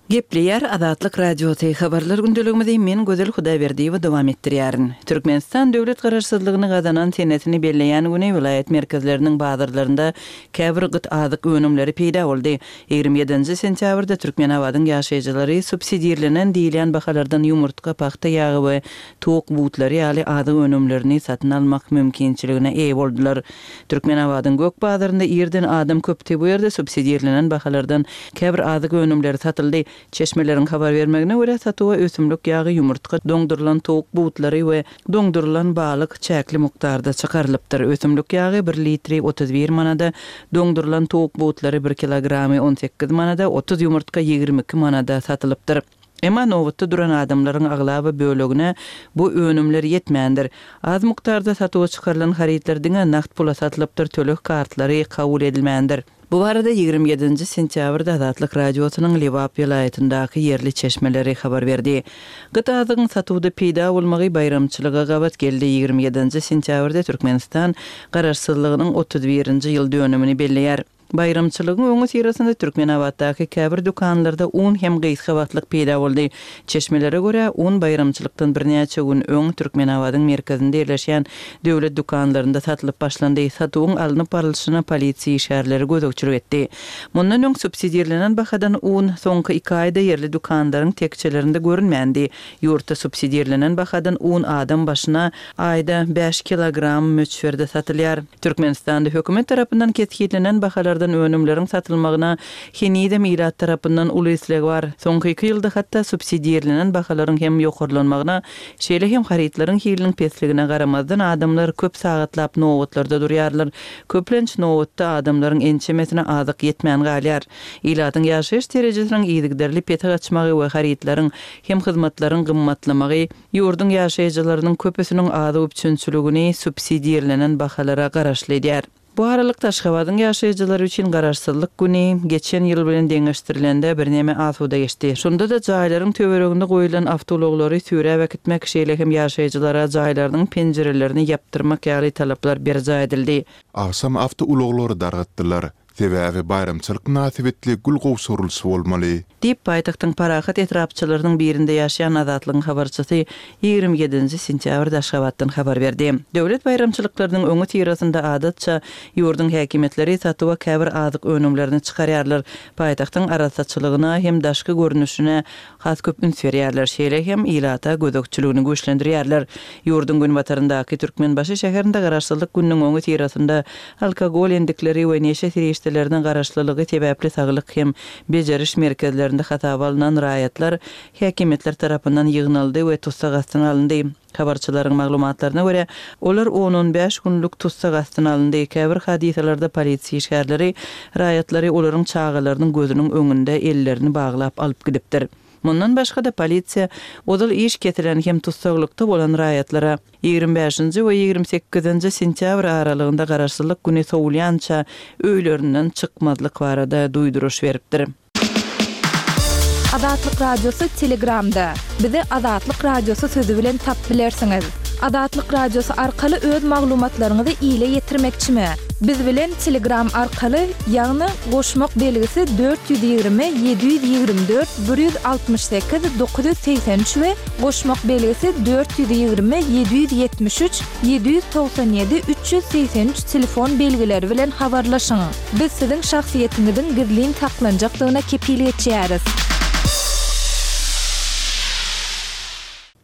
Gepleýär Azatlyk Radiosy, Habarlar gündeligimizi men Gözel Hudaýberdiýewa dowam etdirýärin. Türkmenistan döwlet garaşsyzlygyny gazanan senesini belleýän güni welaýat merkezleriniň bazarlarynda käbir gyt azyk önümleri peýda boldy. 27-nji sentýabrda Türkmenabadyň ýaşaýjylary subsidirlenen diýilýän bahalardan ýumurtga, pagta ýagy we towuk butlary ýaly azyk önümlerini satyn almak mümkinçiligine eýe boldular. Türkmenabadyň gök bazarynda irden adam köpdi, bu ýerde subsidirlenen bahalardan käbir azyk önümleri satyldy. Çeşmeleriň habar bermegine görä, satuwa ösümlik ýagy, ýumurtga, doňdurylan towuk butlary we doňdurylan balyk çäkli mukdarda çykarylypdyr. Ösümlik ýagy bir litri 31 manada, doňdurylan towuk butlary bir kilogramy 18 manada, 30 ýumurtga 22 manada satylypdyr. Emma nobatda duran adamlaryň aglaba bölegine bu önümler ýetmändir. Az mukdarda satuwa çykarylan harytlar diňe nagt pula satylypdyr, töleg kartlary kabul edilmändir. Bu barada 27-nji sentýabrda Azatlyk Radiosynyň Lebap welaýatyndaky ýerli çeşmeleri habar berdi. Gyt azygyň satuwda peýda bolmagy baýramçylyga gabat geldi. 27-nji sentýabrda Türkmenistan Garaşsyzlygynyň 31-nji ýyl dönümini belleýär. Baýramçylygyň öňüsyrasynda Türkmenabatdaky käbir dükanlarda un hem gysga wagtlyk peýda boldy. Çeşmelere görä, un baýramçylykdan birnäçe gün öň Türkmenabadyň merkezinde ýerleşýän döwlet dükanlarynda satylyp başlandy. Satuwyň alnyp barlyşyna polisiýa işgärleri gözegçilik etdi. Mundan öň subsidirlenen bahadan un soňky iki aýda ýerli dükanlaryň tekjelerinde görünmändi. Ýurtda subsidirlenen bahadan un adam başyna aýda bäş kilogram möçberde satylýar. Türkmenistanda hökümet tarapyndan kesgitlenen bahalardan önümleriň satylmagyna henizem ilat tarapyndan uly isleg bar. Soňky iki ýylda hatda subsidirlenen bahalaryň hem ýokarlanmagyna, şeýle hem harytlaryň hiliniň pesligine garamazdan adamlar köp sagatlap nobatlarda durýarlar. Köplenç nobatda adamlaryň ençemesine azyk ýetmän galýar. Ilatyň ýaşaýyş derejesiniň yzygiderli pese gaçmagy we harytlaryň hem hyzmatlaryň gymmatlamagy Ýurduň ýaşaýjylarynyň köpüsiniň azyk üpjünçiligini subsidirlenen bahalara garaşly edýär. Bu aralykda, Aşgabadyň ýaşaýjylary üçin Garaşsyzlyk güni geçen ýyl bilen deňeşdirilende birneme asuda geçdi. Şonda-da jaýlaryň töwereginde goýlan awtoulaglary süräp äkitmek, şeýle hem ýaşaýjylara jaýlarynyň penjirelerini ýapdyrmak ýaly talaplar berjaý edildi. Agşam awtoulaglary dargatdylar. Sebäbi baýramçylyk mynasybetli gül gowşurylyşy bolmaly. Diýip, paýtagtyň Parahat etrapçalarynyň birinde ýaşaýan Azatlygyň habarçysy 27-nji sentýabrda Aşgabatdan habar berdi. Döwlet baýramçylyklarynyň öňüsyrasynda adatça ýurduň häkimiýetleri satuwa käbir azyk önümlerini çykarýarlar, paýtagtyň arassaçylygyna hem daşky görnüşine has köp üns berýärler, şeýle hem ilata gözegçiligini güýçlendirýärler. Ýurduň günbataryndaky Türkmenbaşy şäherinde Garaşsyzlyk gününiň öňüsyrasynda alkogol endikleri we neşe serişdelerine garaşlylygy sebäpli saglyk hem bejeriş merkezlerinde hasaba alnan raýatlar häkimiýetler tarapyndan ýygnaldy we tussag astyna alyndy. Habarçylaryň maglumatlaryna görä, olar on-on bäş günlük tussag astyna alyndy. Käbir hadysalarda polisiýa işgärleri raýatlary olaryň çagalarynyň gözüniň öňünde ellerini baglap alyp gidipdir. Mundan başga-da, polisiýa ozal iş kesilen hem tussaglykda bolan raýatlara 25-nji we 28-nji sentýabr aralygynda Garaşsyzlyk güni sowulýança öýlerinden çykmazlyk barada duýduryş beripdir. Azatlyk Radiosy Telegramda. Bizi Azatlyk Radiosy sözi bilen tap bilersiňiz. Azatlyk Radiosy arkaly öz maglumatlaryňyzy ile ýetirmekçimi? Biz bilen Telegram arkaly, ýagny goşmak belgisi 420 724 168 983 we goşmak belgisi 420 773 797 383 telefon belgileri bilen habarlaşyň. Biz siziň şahsyýetiňiziň gizlin saklanjakdygyna kepil geçýäris.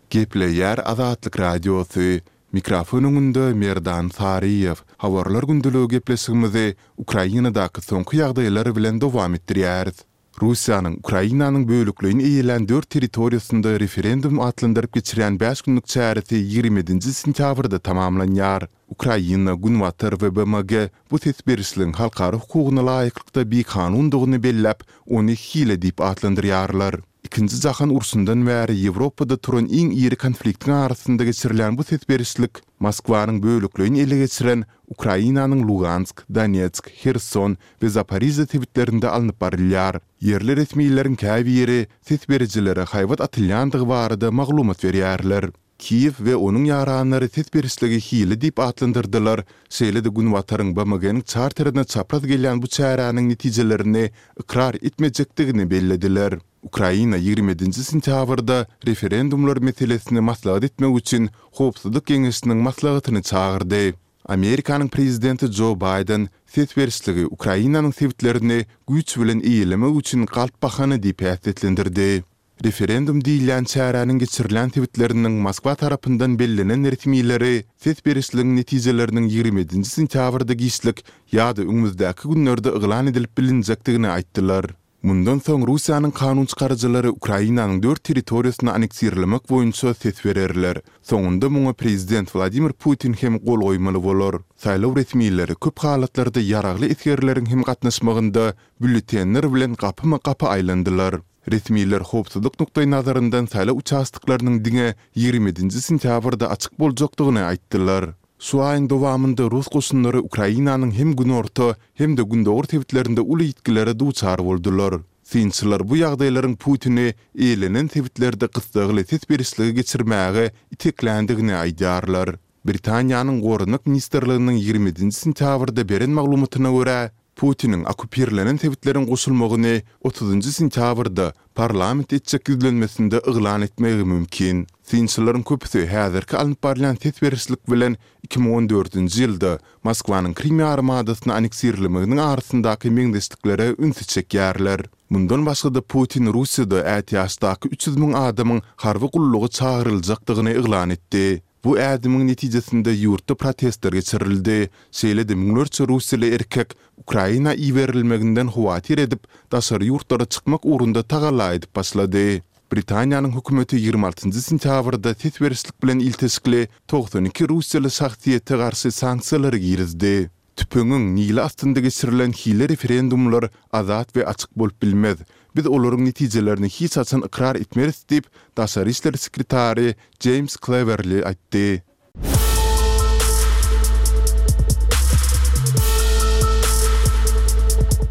Gepleýär Azatlyk Radiosy, Mikrofon öňünde Merdan Saryýew. Habarlar gündeligi gepleşigimizi Ukrainadaky soňky ýagdaýlar bilen dowam etdirýäris. Russiýanyň Ukrainanyň bölekleýin eýelän dört territoriýasynda referendum atlandyryp geçirýän bäş günlük çäresi 27-nji sentýabrda tamamlanýar. Ukraina, Günbatar we BMG bu ses berişligiň halkara hukugyna laýyklykda bikanundygyny belläp, ony hile diýip atlandyrýarlar. Ikinji jahan urşundan bäri Ýewropada turan iň iri konfliktiň arasynda geçirilýän bu ses berişlik Moskwanyň bölekleýin ele geçiren Ukrainanyň Lugansk, Donetsk, Herson we Zaporižýa sebitlerinde alnyp barylýar. Ýerli resmileriň käbiri ses berijilere haýbat atylýandygy barada maglumat berýärler. Kiýew we onuň ýaranlary ses berişligi hile diýip atlandyrdylar, şeýle-de Günbataryň BMG-niň çarterine çapraz gelýän bu çäräniň netijelerini ykrar etmejekdigini bellediler. Ukraina 27-nji sentýabrda referendumlar meselesini maslahat etmek üçin Howpsuzlyk geňeşiniň maslahatyny çagyrdy. Amerikanyň prezidenti Jo Baýden ses berişligi Ukrainanyň sebitlerini güýç bilen eýelemek üçin galp bahana diýip häsiýetlendirdi. Referendum diýilýän çäräniň geçirilýän sebitleriniň Moskwa tarapyndan bellenen resmileri ses berişligiň netijeleriniň 27-nji sentýabrda giçlik ýa-da öňümizdäki günlerde yglan edilip bilinjekdigini aýtdylar. Mundan soň Russiýanyň kanun çykaryjylary Ukrainanyň dört territoriýasyny anneksirlemek boýunça ses bererler. Soňunda muňa prezident Wladimir Putin hem gol goýmaly bolar. Saýlaw resmileri köp halatlarda ýaragly esgerleriň hem gatnaşmagynda býulletenler bilen gapyma-gapy aýlandylar. Resmiler howpsuzlyk nukdaýnazaryndan saýlaw uçastoklarynyň diňe 27-nji sentýabrda açyk boljakdygyny aýtdylar. Şu aýyň dowamynda rus goşunlary Ukrainanyň hem günorta, hem-de gündogar sebitlerinde uly ýitgilere duçar boldular. Synçylar bu ýagdaýlaryň Putini eýelenen sebitlerde gyssagly ses berişligi geçirmäge itekländigini aýdýarlar. Britaniýanyň Goranmak ministrliginiň 27-nji sentýabrda beren maglumatyna görä, Putiniň okkupirlenen sebitleriň goşulmagyny otuzynjy sentýabrda parlament etjek ýüzlenmesinde yglan etmegi mümkin. Synçylaryň köpüsi häzirki alnyp barylýan ses berişlik bilen 2014-nji ýylda Moskwanyň Krym ýarymadasyny anneksirlemeginiň arasyndaky meňzeşliklere ünsi çekýärler. Mundan başga-da Putin Russiýada ätiýaçdaky 300 müň adamyň harby gulluga çagyryljakdygyny yglan etdi. Bu ädimiň netijesinde ýurtda protestler geçirildi, şeýle-de müňlerçe russiýaly erkek Ukraina iberilmeginden howatyr edip, daşary ýurtlara çykmak ugrunda tagalla edip başlady. Britaniýanyň hökümeti 26-njy sentýabrda ses berişlik bilen ilteşikli 92 russiýaly şahsyýete garşy sanksiýalary girizdi. Tüpeňiň nili astynda geçirilen hile referendumlar azat we açyk bolup bilmez. Biz olaryň netijelerini hiç haçan ykrar etmeris diýip, daşary işler sekretary Jeýms Klewerli aýtdy.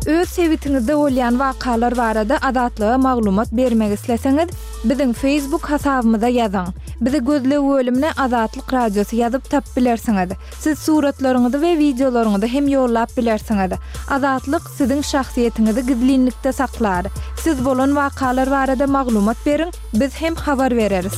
Öz sebitiňizde bolýan wakalar barada Azatlyga maglumat bermek isleseňiz, biziň Facebook hasabymyza ýazyň. Bizi gözleg bölümine Azatlyk Radiosy ýazyp tapyp bilersiňiz. Siz suratlaryňyzy we wideolaryňyzy hem ýollap bilersiňiz. Azatlyk siziň şahsyýetiňizi gizlinlikde saklar. Siz bolan wakalar barada maglumat beriň, biz hem habar bereris.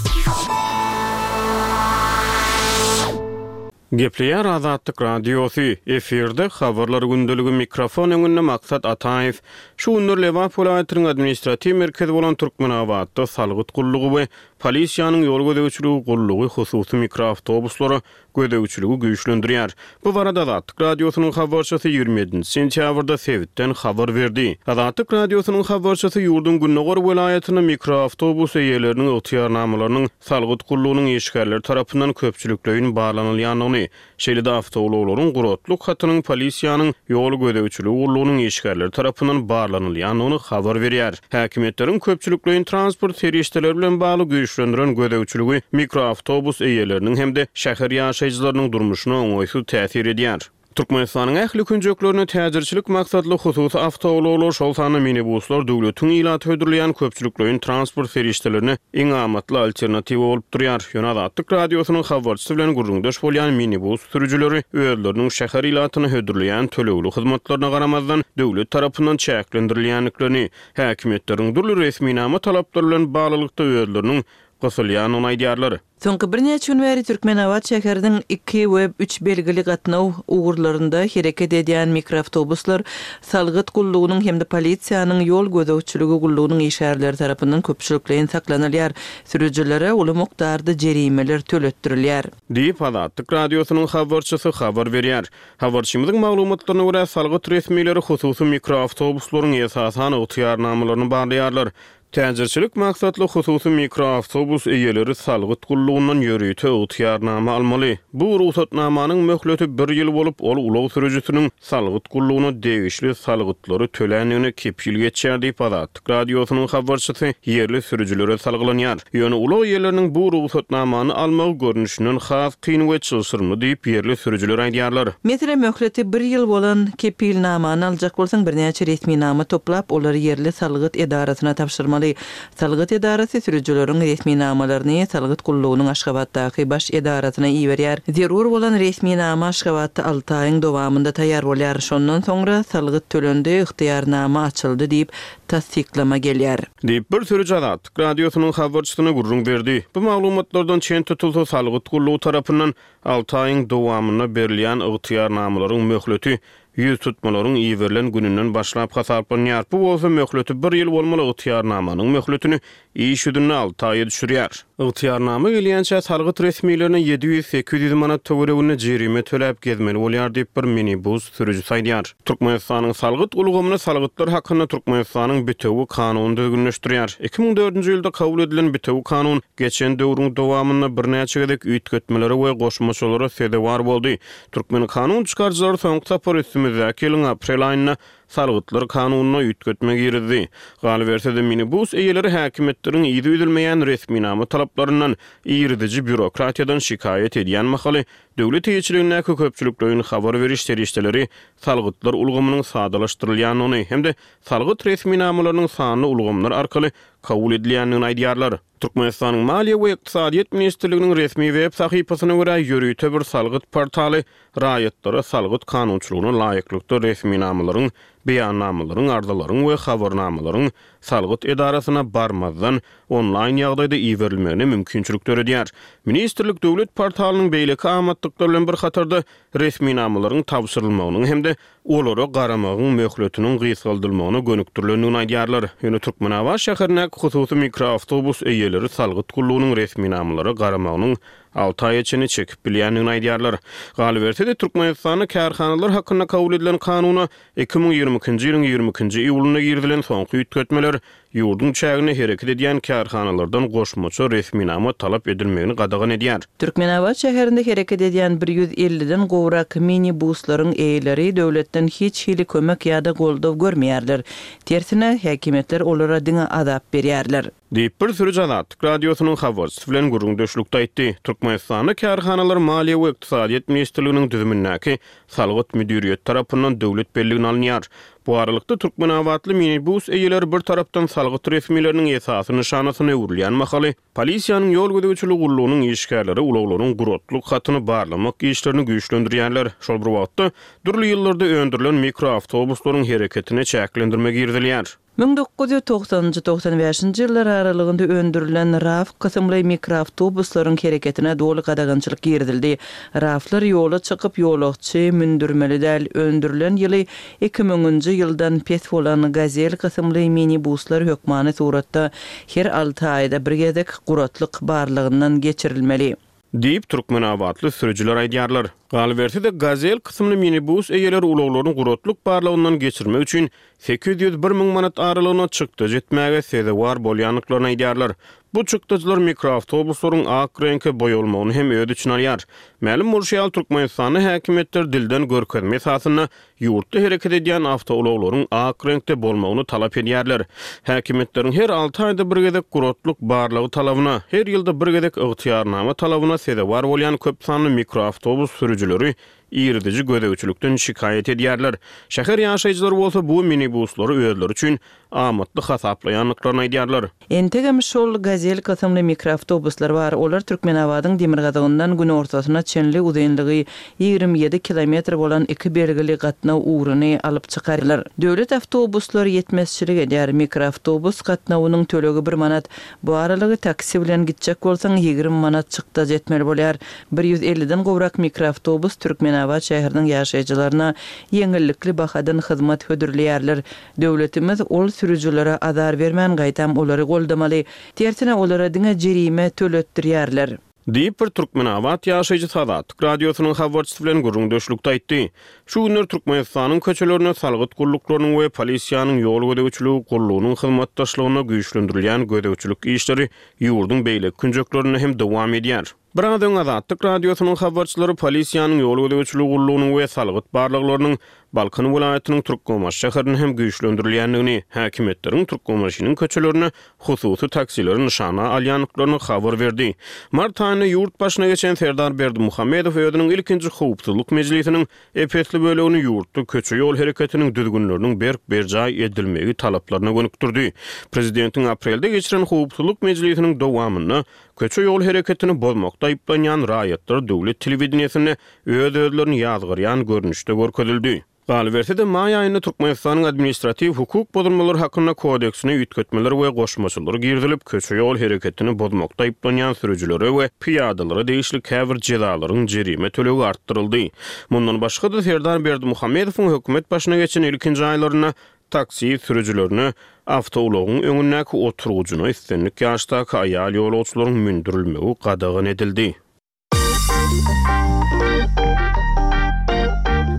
Gepleýär Azatlyk Radiosy, efirde Habarlar gündeligi, mikrofon öňünde Maksat Ataýew. Şu günler Lebap welaýatynyň administratiw merkezi bolan Türkmenabatda salgyt gullugy we polisiýanyň ýol gözegçiligi gullugy hususy mikroawtobuslara gözegçiligi güýçlendirýär. Bu barada Azatlyk Radiosynyň habarçysy 27-nji sentýabrda sebitden habar berdi. Azatlyk Radiosynyň habarçysy ýurduň gündogar welaýatynda mikroawtobus eýeleriniň ygtyýarnamalarynyň salgyt gullugynyň işgärleri tarapyndan köpçülikleýin barlanylýandygyny, Şeýle-de awtoulaglaryň guratlyk hatynyň polisiýanyň ýol gözegçiligi gullugynyň işgärleri tarapyndan barlanylýandygyny habar berýär. Häkimiýetleriň köpçülikleýin transport serişdeleri bilen bagly güýçlendiren gözegçiligi mikroawtobus eýeleriniň hem-de şäher ýaşaýjylarynyň durmuşyna oňaýsyz täsir edýär. Türkmenistanyň ähli künjeklerinde täjirçilik maksatly hususy awtoulaglar, şol sanda minibuslar döwletiň ilata hödürleýän köpçülikleýin transport serişdelerine iň amatly alternatiwa bolup durýar. Ýöne Azatlyk Radiosynyň habarçysy bilen gürrüňdeş bolýan minibus sürüjileri özleriniň şäher ilatyna hödürleýän tölegli hyzmatlaryna garamazdan, döwlet tarapyndan çäklendirilýändiklerini, häkimiýetleriň dürli resminama talaplary bilen baglylykda özleriniň gysylýandygyny aýdýarlar. Soňky birnäçe gün bäri Türkmenabat şäheriniň iki we üç belgili gatnaw ugurlarynda hereket edýän mikroawtobuslar salgyt gullugynyň hem-de polisiýanyň ýol gözegçiligi gullugynyň işgärleri tarapyndan köpçülikleýin saklanylýar, sürüjilere uly mukdarda jerimeler töletdirilýär. Diýip, Azatlyk Radiosynyň habarçysy habar berýär. Habarçymyzyň maglumatlaryna görä, salgyt resmileri hususy mikroawtobuslaryň esasan ygtyýarnamalaryny barlaýarlar. Täjirçilik maksatly hususy mikroawtobus eýeleri salgyt gullugyndan ýörite ygtyýarnama almaly. Bu rugsatnamanyň möhleti bir ýyl bolup, ol ulag sürüjisiniň salgyt gullugyna degişli salgytlary töländigine kepil geçýär diýip, Azatlyk Radiosynyň habarçysy ýerli sürüjilere salgylanýar. Ýöne ulag eýeleriniň bu rugsatnamany almagy görnüşinden has kyn we çylşyrymly diýip, ýerli sürüjiler aýdýarlar. Meselem, möhleti bir ýyl bolan kepilnamany aljak bolsaň, birnäçe resminama toplap, olary ýerli salgyt edarasyna tabşyrmaly. bolmaly. Salgyt edarasy sürüjileriň resminamalaryny salgyt gullugynyň Aşgabatdaky baş edarasyna iberýär. Zerur bolan resminama Aşgabatda alty aýyň dowamynda taýýar bolýar. Şondan soňra salgyt tölendi, ygtyýarnama açyldy diýip, tassyklama gelýär. Diýip, bir sürüji Azatlyk Radiosynyň habarçysyna gürrüň berdi. Bu maglumatlardan çen tutulsa, salgyt gullugy tarapyndan alty aýyň dowamynda berilýän ygtyýarnamalaryň möhleti ýüztutmalaryň iberilen gününden başlap hasaplanýar. Bu bolsa möhleti bir ýyl bolmaly ygtyýarnamanyň möhletini iş ýüzünde alty aýa düşürýär. Ygtyýarnama gelýänçä salgyt resmilerine 700-800 manat töwereginde jerime töläp gezmeli bolýar diýip, bir minibus sürüjisi aýdýar. Türkmenistanyň salgyt ulgamyny Salgytlar hakynda Türkmenistanyň Bitewi kanuny düzgünleşdirýär. 2004-nji ýylda kabul edilen Bitewi kanun geçen döwrüň dowamynda birnäçe gezek üýtgetmelere we goşmaçalara sezewar boldy. Türkmen kanun çykaryjylary soňky sapar üstümizdäki ýylyň aprel aýynda Salgytlar kanunyna üýtgetme girizdi. Galyberse-de, minibus eýeleri häkimiýetleriň yzy üzülmeýän resminama talaplaryndan, iriziji býurokratiýadan şikaýat edýän mahaly, döwlet eýeçiligindäki köpçülikleýin habar beriş serişdeleri salgytlar ulgamynyň sadalaşdyrylýandygyny hem-de salgyt resminamalarynyň sanly ulgamlar arkaly kabul edilýändigini aýdýarlar. Türkmenistanyň Maliýe we ykdysadyýet ministrliginiň resmi web sahypasyna görä, ýörite bir salgyt portaly raýatlara salgyt kanunçylygyna laýyklykda resminamalaryň, beýannamalaryň, arzalaryň we habarnamalaryň salgyt edarasyna barmazdan, onlaýn ýagdaýda iberilmegine mümkinçilik döredýär. Ministrlik döwlet portalynyň beýleki amatlyklar bilen bir hatarda resminamalaryň tabşyrylmagynyň hem-de olara garamagyň möhletiniň gysgaldylmagyna gönükdirilendigini aýdýarlar. Ýöne Türkmenabat şäherindäki hususy mikroawtobus eýeleri salgyt gullugynyň resminamalara garamagynyň alty aýa çenli çekip bilýändigini aýdýarlar. Galyberse-de, Türkmenistanda kärhanalar hakynda kabul edilen kanuna 2022-nji ýylyň 22-nji iýulynda girizilen soňky üýtgetmeler Ýurduň çäginde hereket edýän kärhanalardan goşmaça resminama talap edilmegini gadagan edýär. Türkmenabat şäherinde hereket edýän bir 150-den gowrak mini-buslaryň eýeleri döwletden hiç hili kömek ýa-da goldaw görmeýärler. Tersine, häkimiýetler olara diňe azap berýärler. Diýip, bir sürüji Azatlyk Radiosynyň habarçysy bilen gürrüňdeşlikde aýtdy. Türkmenistanda kärhanalar Maliýe we ykdysadyýet ministrliginiň düzümindäki Salgyt müdiriýeti tarapyndan döwlet belligine alynýar. Bu aralykda, türkmenabatly minibus eýeleri bir tarapdan salgyt resmileriniň esasy nyşanasyna öwrülýän mahaly, polisiýanyň ýol gözegçiligi gullugynyň işgärleri ulaglaryň guratlyk hatyny barlamak işlerini güýçlendirýärler. Şol bir wagtda, dürli ýyllarda öndürilen mikroawtobuslaryň hereketine çäklendirme girizilýär. 1990-njy, 95-nji ýyllar aralygynda öndürilen RAV kysymly mikroawtobuslaryň hereketine doly gadagançylyk girizildi. RAV-lar ýola çykyp, ýolagçy mündürmeli däl. Öndürilen ýyly 2000-nji ýyldan pes bolan Gazel kysymly minibuslar hökmany suratda her alty aýda bir gezek guratlyk barlagyndan geçirilmeli. Diýip, türkmenabatly sürüjiler aýdýarlar. Galyberse-de, Gazel kysymly minibus eýeleri ulaglaryny guratlyk barlagyndan geçirmek üçin 801 müň manat aralygynda çykdajy etmäge sezewar bolýandyklaryny aýdýarlar. Bu çykdajylar mikroawtobuslaryň ak reňke boýalmagyny hem öz içine alýar. Mälim bolşy ýaly, Türkmenistanda häkimiýetler dilden görkezme esasynda ýurtda hereket edýän awtoulaglaryň ak reňkde bolmagyny talap edýärler. Häkimiýetleriň her alty aýda bir gezek guratlyk barlagy talabyna, her ýylda bir gezek ygtyýarnama talabyna sezewar bolýan köp sanly mikroawtobus sürüjileri iriziji gözegçilikden şikaýat edýärler. Şäher ýaşaýjylary bolsa bu minibuslary özleri üçin amatly hasaplaýandyklaryny aýdýarlar. Entegem şol Gazel kysymly mikroawtobuslar bar, olar Türkmenabadyň demirgazygyndan günortasyna çenli uzynlygy 27 kilometr bolan iki belgili gatnaw ugruny alyp çykarlar. Döwlet awtobuslary ýetmezçilik edýär, mikroawtobus gatnawynyň tölegi bir manat, bu aralygy taksi bilen gitjek bolsaň 20 manat çykdajy etmeli bolýar. Bir 150-den gowrak mikroawtobus Türkmenabat şäheriniň ýaşaýjylaryna ýeňillikli bahadan hyzmat hödürleýärler. Döwletimiz ol sürüjilere azar bermän gaýtam olary goldamaly. Tersine olara diňe jerime töletdirýärler. Diýip, bir türkmenabat ýaşaýjysy Azatlyk Radiosynyň habarçysy bilen gürrüňdeşlikde aýtdy. Şu günler Türkmenistanyň köçelerinde salgyt gulluklarynyň we polisiýanyň ýol gözegçiligi gullugynyň hyzmatdaşlygynda güýçlendirilýän gözegçilik işleri ýurduň beýleki künjeklerinde hem dowam edýär. Biraz öň Azatlyk Radiosynyň habarçylary polisiýanyň ýol gözegçiligi gullugynyň we salgyt barlaglarynyň Balkan welaýatynyň Türkmenbaşy şäherinde hem güýçlendirilýändigini, häkimiýetleriň Türkmenbaşynyň köçelerinde hususy taksileri nyşana alýandyklaryny habar berdi. Mart aýynda ýurt başyna geçen Serdar Berdimuhamedow özüniň ilkinji howpsuzlyk mejlisiniň ep-esli bölegini ýurtda köçe-ýol hereketiniň düzgünleriniň berk berjaý edilmegi talaplaryna gönükdirdi. Prezidentiň aprelde geçiren howpsuzlyk mejlisiniň dowamynda köçe-ýol hereketini bozmakda aýyplanýan raýatlar döwlet telewideniýesinde öz-özlerini ýazgarýan görnüşde görkezildi. Galyberse-de, maý aýynda Türkmenistanyň Administratiw hukuk bozulmalary hakynda kodeksine üýtgetmeler we goşmaçalar girizilip, köçe-ýol hereketini bozmakda aýyplanýan sürüjilere we pyýadalara degişli käbir jezalaryň jerime tölegi artdyryldy. Mundan başga-da, Serdar Berdimuhamedowyň hökümet başyna geçen ilkinji aýlarynda taksi sürüjilerine awtoulagyň öňündäki oturgyjyna islendik ýaşdaky aýal ýolagçylaryň mündürilmegi gadagan edildi.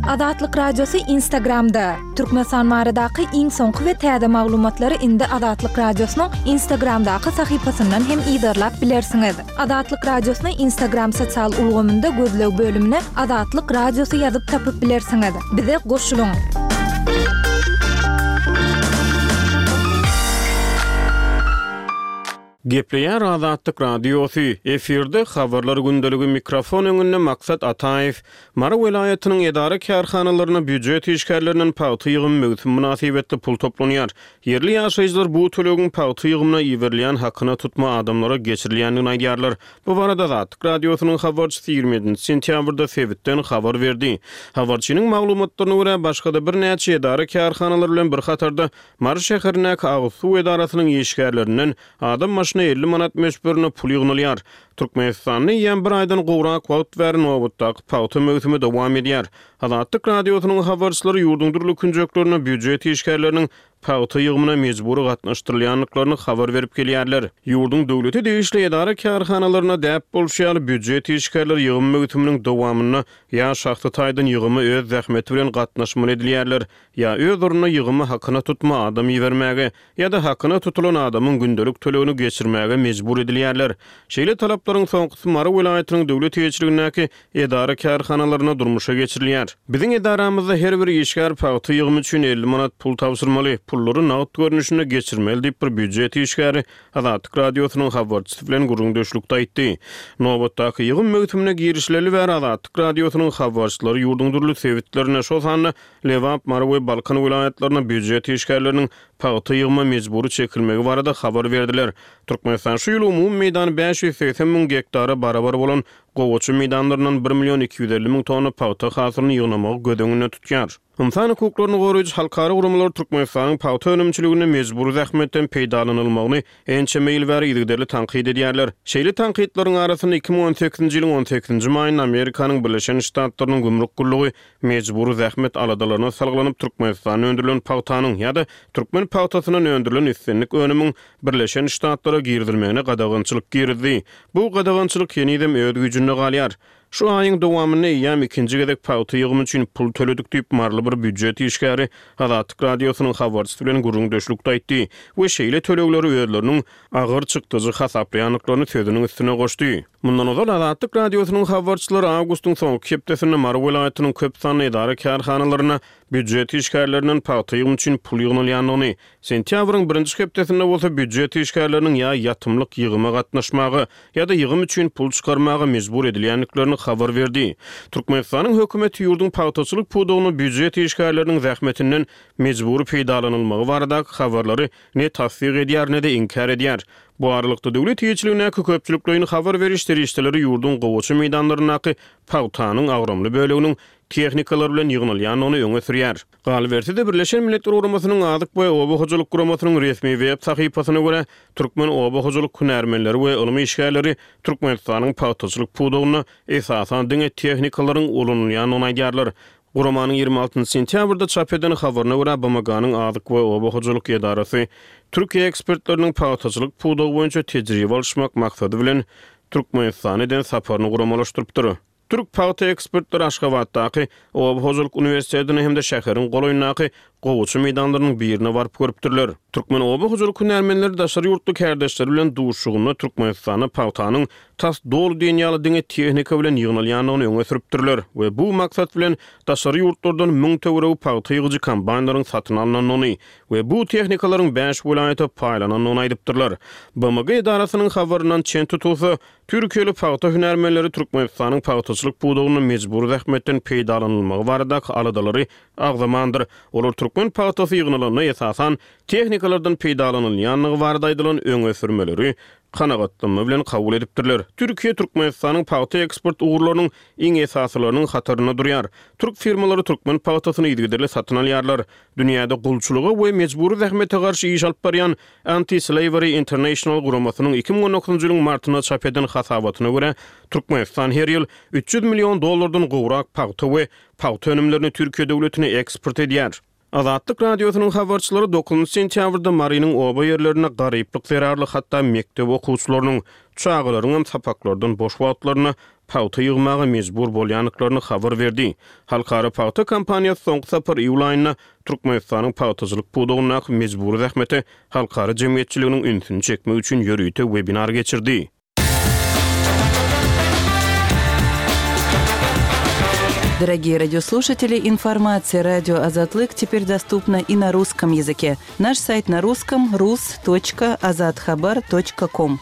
Azatlyk Radiosy Instagramda, Türkmenistan baradaky iň soňky we täze maglumatlary indi Azatlyk Radiosynyň Instagramdaky sahypasyndan hem yzarlap bilersiňiz. Azatlyk Radiosyny Instagram sosial ulgamynda gözleg bölümine Azatlyk Radiosy ýazyp tapyp bilersiňiz. Bize goşulyň! Gepleýär Azatlyk Radiosy, efirde Habarlar gündeligi mikrofon öňünde Maksat Ataýew. Mary welaýatynyň edara-kärhanalarynda býujet işgärlerinden pagta ýygymy möwsümi mynasybetli pul toplanýar. Ýerli ýaşaýjylar bu tölegiň pagta ýygymyna iberilýän hakyna tutma adamlara geçirilýändigini aýdýarlar. Bu barada Azatlyk Radiosynyň habarçysy 27 sentýabrda sebitden habar berdi. Habarçynyň maglumatlaryna görä, başga-da birnäçe edara-kärhanalar bilen bir hatarda Mary şäherindäki agyz suw edarasynyň işgärlerinden adam başyna 50 manat möçberinde pul ýygnalýar. Türkmenistanda eýýäm bir aýdan gowrak wagt bäri nobatdaky pagta möwsümi dowam edýär. Azatlyk Radiosynyň habarçylary ýurduň dürli künjeklerinde býujet işgärleriniň pagta ýygymyna mejbury gatnaşdyrylýandyklaryny habar berip gelýärler. Ýurduň döwlete degişli edara-kärhanalarynda däp bolşy ýaly, býujet işgärleri ýygym möwsüminiň dowamynda ýa şahsy taýdan ýygyma öz zähmeti bilen gatnaşmaly edilýärler, Ýa öz ornuna ýygymy hakyna tutma adam ibermäge, ýa-da hakyna tutulan adamyň gündelik tölegini geçirmäge mejbur edilýärler. Şeýle talaplaryň soňkusy Mary welaýatynyň döwlet eýeçiligindäki edara-kärhanalarynda durmuşa geçirilýär. Biziň edaramyzda her bir işgär pagta ýygymy üçin 50 manat pul tabşyrmaly, pullary nagt görnüşinde geçirmeli diýip, bir býujet işgäri Azatlyk Radiosynyň habarçysy bilen gürrüňdeşlikde aýtdy. Nobatdaky ýygym möwsümine girişileli bäri Azatlyk Radiosynyň habarçylary ýurduň dürli sebitlerinde, şol sanda Lebap, Mary we Balkan welaýatlarynda býujet işgärleriniň pagta ýygyma mejbury çekilmegi barada habar berdiler. Türkmenistan şu ýyl umumy meýdany 580 müň gektara barabar bolan gowaça meýdanlaryndan bir million 250 müň tonna pagta hasylyny ýygnamagy göz öňünde tutýar. Ynsan hukuklaryny goraýjy halkara guramalar Türkmenistanyň pagta önümçiliginde mejbury zähmetden peýdalanylmagyny ençeme ýyl bäri yzygiderli tankyt edýärler. Şeýle tankytlaryň arasynda 2018-nji ýylyň on sekizinji maýynda Amerikanyň Birleşen Ştatlarynyň gümrük gullugy mejbury zähmet aladalaryna salgylanyp Türkmenistanda öndürilen pagtanyň ýa-da türkmen pagtasyndan öndürilen islendik önümiň Birleşen Ştatlara girizilmegine gadagançylyk girizdi. Bu gadagançylyk henizem öz güýjünde galýar. Şu aýyň dowamynda eýýäm ikinji gezek pagta ýygymy üçin pul töledik diýip, maryly bir býujet işgäri Azatlyk Radiosynyň habarçysy bilen gürrüňdeşlikde aýtdy we şeýle tölegleri özleriniň agyr çykdajy hasaplaýandyklaryny sözüniň üstüne goşdy. Mundan ozal Azatlyk Radiosynyň habarçylary awgustyň soňky hepdesinde Mary welaýatynyň köp sanly edara-kärhanalarynda býujet işgärlerinden pagta ýygymy üçin pul ýygnalýandygyny, Sentýabryň birinji hepdesinde bolsa býujet işgärleriniň ýa ýatymlyk ýygyma gatnaşmaga, ýa-da ýygym üçin pul çykarmaga mejbur edilýändiklerini habar berdi. Türkmenistanyň hökümeti ýurduň pagtaçylyk pudagynda býujet işgärleriniň zähmetinden mejbury peýdalanylmagy baradaky habarlary ne tassyk edýär, ne-de inkär edýär. Bu aralykda, döwlet eýeçiligindäki köpçülikleýin habar beriş serişdeleri ýurduň gowaça meýdanlaryndaky pagtanyň agramly böleginiň tehnikalar bilen ýygnalýandygyny öňe sürýär. Galyberse-de, Birleşen Milletler Guramasynyň Azyk we oba hojalyk guramasynyň resmi web sahypasyna görä, türkmen oba hojalyk hünärmenleri we ylym işgärleri Türkmenistanyň pagtaçylyk pudagynda esasan diňe tehnikalaryň ulanylýandygyny aýdýarlar. Guramanyň 26 sentýabrda çap eden habaryna görä, BMG-niň Azyk we oba hojalyk edarasy Türkiýe ekspertleriniň pagtaçylyk pudagy boýunça tejribe alyşmak maksady bilen Türkmenistana eden saparyny guramalaşdyrypdyr. Türk pagta ekspertleri Aşgabatdaky Oba hojalyk uniwersitetine hem-de şäheriň golaýyndaky gowaça meýdanlarynyň birine baryp görüpdirler. Türkmen oba hojalyk hünärmenleri daşary ýurtly kärdeşleri bilen duşuşygynda Türkmenistanda pagtanyň tas doly diýen ýaly diňe tehnika bilen ýygnalýandygyny öňe sürüpdirler we bu maksat bilen daşary ýurtlardan 1000 töweregi pagta ýygyjy kombaýnlaryň satyn alnandygyny we bu tehnikalaryň bäş welaýata paýlanandygyny aýdypdyrlar. BMG edarasynyň habaryndan çen tutulsa, türkiýeli pagta hünärmenleri Türkmenistanyň pagtaçylyk pudagynda mejbury zähmetden peýdalanylmagy baradaky aladalary agzamandyr. Olar türkmen pagtasy ýygnalanda esasan tehnikalardan peýdalanylýandygy barada aýdylan öňe sürmeleri kanagatlanma bilen kabul edipdirler. Türkiýe Türkmenistanyň pagta eksport ugurlarynyň iň esasylarynyň hatarynda durýar. Türk firmalary türkmen pagtasyny yzygiderli satyn alýarlar. Dünýäde gulçulyga we mejbury zähmete garşy iş alyp barýan Anti-Slavery International guramasynyň 2019-njy ýylyň martynda çap eden hasabatyna görä, Türkmenistan her ýyl 300 million dollardan gowrak pagta we pagta önümlerini Türkiýe döwletine eksport edýär. Azatlyk Radiosynyň habarçylary dokuzynjy sentýabrda Marynyň oba ýerlerinde garyplyk zerarly hatda mekdep okuwçylarynyň, çagalaryňam sapaklardan boş wagtlarynda pagta ýygmaga mejbur bolýandyklaryny habar berdi. Halkara pagta kampaniýasy soňky sapar iýul aýynda Türkmenistanyň pagtaçylyk pudagyndaky mejbury zähmete halkara jemgyýetçiliginiň ünsüni çekmek üçin ýörite webinar geçirdi. Дорогие радиослушатели, информация радио Азатлык теперь доступна и на русском языке. Наш сайт на русском rus.azathabar.com.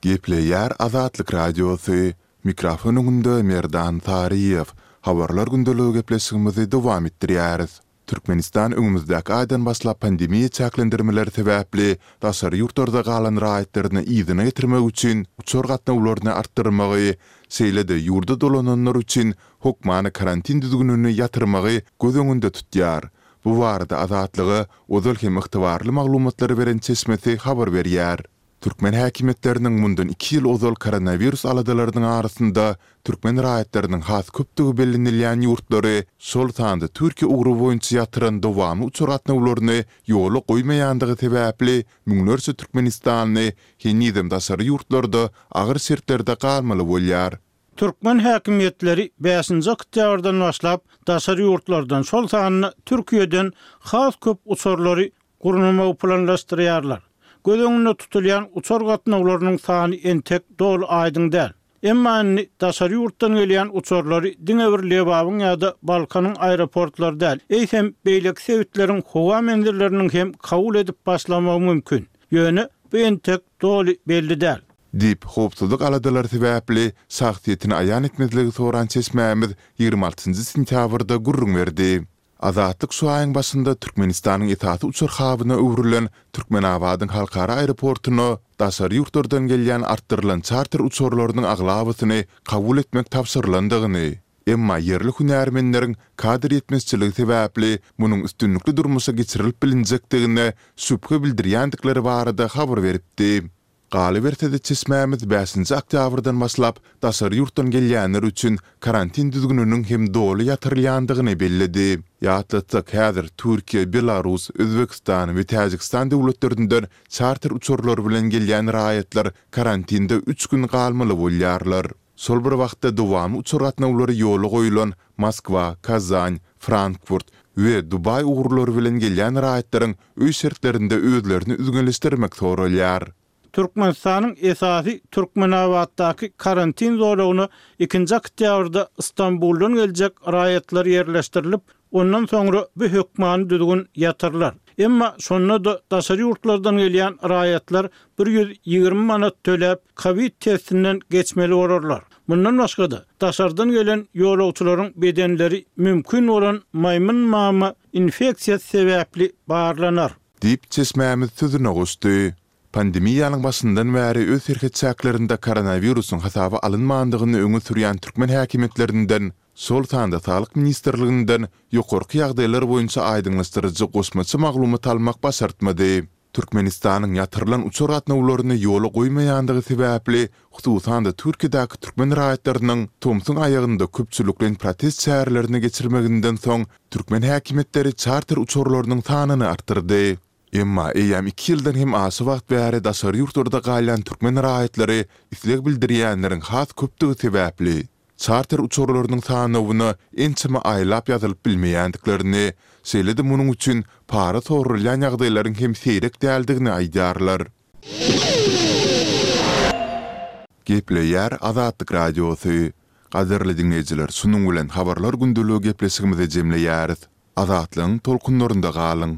Gepleýär Azatlyk Radiosy, Mikrofon öňünde Merdan Saryýew. Habarlar gündeligi gepleşigimizi dowam etdirýäris. Türkmenistan öňümizdäki aýdan başlap pandemiýa çäklendirmeleri sebäpli daşary ýurtlarda galan raýatlaryny yzyna getirmek üçin uçar gatnawlaryny artdyrmagy, şeýle-de ýurda dolananlar üçin hokmany karantin düzgünini ýatyrmagy göz öňünde tutýar. Bu barada Azatlyga ozal hem ygtybarly maglumatlary beren çeşmesi habar berýär. Türkmen häkimiýetleriniň mundan iki ýyl ozal koronawirus aladalarynyň arasynda türkmen raýatlarynyň has köpdügi bellenilýän ýurtlary, şol sanda Türkiýe ugry boýunça ýatyran dowamly uçar gatnawlaryny ýola goýmaýandygy sebäpli müňlerçe türkmenistanly henizem daşary ýurtlarda agyr şertlerde galmaly bolýar. Türkmen häkimiýetleri bäşinji oktýabrdan başlap daşary ýurtlardan, şol sanda Türkiýeden has köp uçarlary gurnamagy planlaşdyrýarlar. Göz öňünde tutulýan uçar gatnawlarynyň sany entek doly aýdyň däl. Emma indi daşary ýurtdan gelýän uçarlary diňe bir Lebabyň ýa-da Balkanyň aeroportlary däl, eýsem, beýleki sebitleriň howa menzilleriniň hem kabul edip başlamagy mümkin. Ýöne bu entek doly belli däl. Diýip, howpsuzlyk aladalary sebäpli şahsyýetini aýan etmezligi soran çeşmämiz 26 sentýabrda gürrüň berdi. Azatlyk şu aýyň başynda Türkmenistanyň esasy uçar habyna öwrülen Türkmenabadyň halkara aeroportuna daşary ýurtlardan gelýän artdyrylan çarter uçarlarynyň aglabasyny kabul etmek tabşyrylandygyny, emma ýerli hünärmenleriň kadr ýetmezçiligi sebäpli munuň üstünlikli durmuşa geçirilip bilinjekdigine şübhe bildirýändikleri barada habar beripdi. Galyberse-de, çeşmämiz bäşinji oktýabrdan başlap daşary ýurtdan gelýänler üçin karantin düzgüniniň hem doly ýatyrylýandygyny belledi. Ýatlatsak, häzir Türkiýe, Belarus, Özbegistan we Täjigistan döwletlerinden çarter uçarlary bilen gelýän raýatlar karantinde üç gün galmaly bolýarlar. Şol bir wagtda dowamly uçar gatnawlary ýola goýlan Moskwa, Kazan, Frankfurt we Dubaý ugurlary bilen gelýän raýatlaryň öý şertlerinde özlerini üzňeleşdirmek soralýar. Türkmenistanyň esasy Türkmenabatdaky karantin zolagyna ikinji oktýabrda Stambuldan geljek raýatlar ýerleşdirilip, ondan soňra bu hökmany düzgün ýatyrylar. Emma şonda-da daşary ýurtlardan gelýän raýatlar 120 manat töläp, kowid testinden geçmeli bolarlar. Mundan başga-da, daşardan gelen ýolagçylaryň bedenleri mümkin bolan maýmyn mama infeksiýasy sebäpli barlanar. Diýip, çeşmämiz sözüne goşdy. Pandemiýanyň başyndan bäri öz serhet çäklerinde koronawirusyň hasaba alynmandygyny öňe sürýän türkmen häkimiýetlerinden, şol sanda Saglyk ministrliginden ýokarky ýagdaýlar boýunça aýdyňlaşdyryjy goşmaça maglumat almak başartmady. Türkmenistanyň ýatyrylan uçar gatnawlaryny ýola goýmaýandygy sebäpli, hususan-da Türkiýedäki türkmen raýatlarynyň tomsuň aýagynda köpçülikleýin protest çärelerini geçirmeginden soň, türkmen häkimiýetleri çarter uçarlarynyň sanyny artdyrdy. Emma eýýäm iki ýyldan hem aşa wagt bäri daşary ýurtlarda galýan türkmen raýatlary isleg bildirýänleriň has köpdügi sebäpli, Çarter uçarlarynyň sanawyna ençeme aýlap ýazylyp bilmeýändiklerini, şeýle-de munuň üçin para soralýan ýagdaýlaryň hem seýrek däldigini aýdýarlar. Gepleýär Azatlyk Radiosy. Gadyrly diňleýjiler, şunuň bilen Habarlar gündeligi gepleşigimizi jemleýäris. Azatlygyň tolkunlarynda galyň!